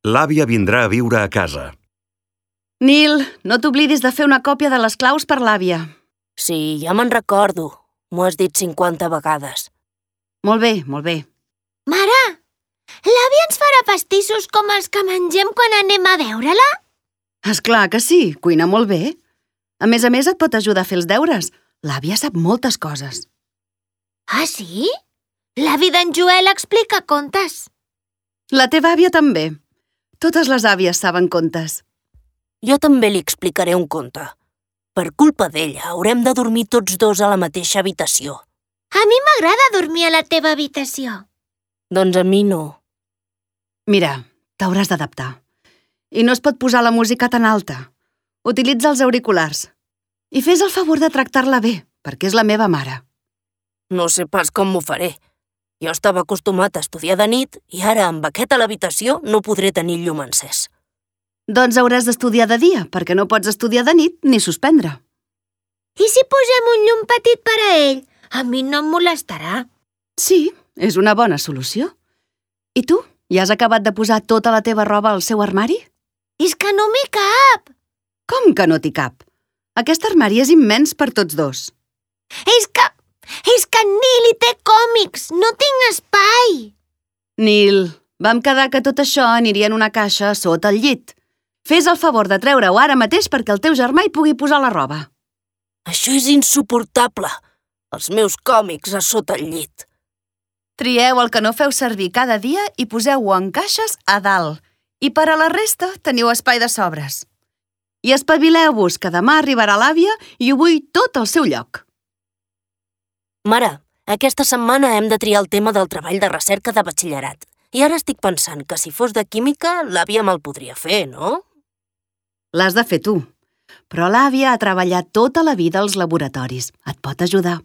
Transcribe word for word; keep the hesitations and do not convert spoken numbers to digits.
L'àvia vindrà a viure a casa. Nil, no t'oblidis de fer una còpia de les claus per l'àvia. Sí, ja me'n recordo. M'ho has dit cinquanta vegades. Molt bé, molt bé. Mare, l'àvia ens farà pastissos com els que mengem quan anem a veure-la? Esclar que sí, cuina molt bé. A més a més et pot ajudar a fer els deures. L'àvia sap moltes coses. Ah, sí? L'avi d'en Joel explica contes. La teva àvia també. Totes les àvies saben contes. Jo també li explicaré un conte. Per culpa d'ella haurem de dormir tots dos a la mateixa habitació. A mi m'agrada dormir a la teva habitació. Doncs a mi no. Mira, t'hauràs d'adaptar. I no es pot posar la música tan alta. Utilitza els auriculars. I fes el favor de tractar-la bé, perquè és la meva mare. No sé pas com m'ho faré. Jo estava acostumat a estudiar de nit i ara amb aquest a l'habitació no podré tenir llum encès. Doncs hauràs d'estudiar de dia, perquè no pots estudiar de nit ni suspendre. I si posem un llum petit per a ell? A mi no em molestarà. Sí, és una bona solució. I tu, ja has acabat de posar tota la teva roba al seu armari? És que no m'hi cap. Com que no t'hi cap? Aquest armari és immens per tots dos. És que... és que en Nil hi té còmics, no tinc espai. Nil, vam quedar que tot això aniria en una caixa sota el llit. Fes el favor de treure-ho ara mateix perquè el teu germà hi pugui posar la roba. Això és insuportable. Els meus còmics a sota el llit. Trieu el que no feu servir cada dia i poseu-ho en caixes a dalt. I per a la resta teniu espai de sobres. I espavileu-vos, que demà arribarà l'àvia i ho vull tot al seu lloc. Mare, aquesta setmana hem de triar el tema del treball de recerca de batxillerat. I ara estic pensant que si fos de química, l'àvia me'l podria fer, no? L'has de fer tu. Però l'àvia ha treballat tota la vida als laboratoris. Et pot ajudar.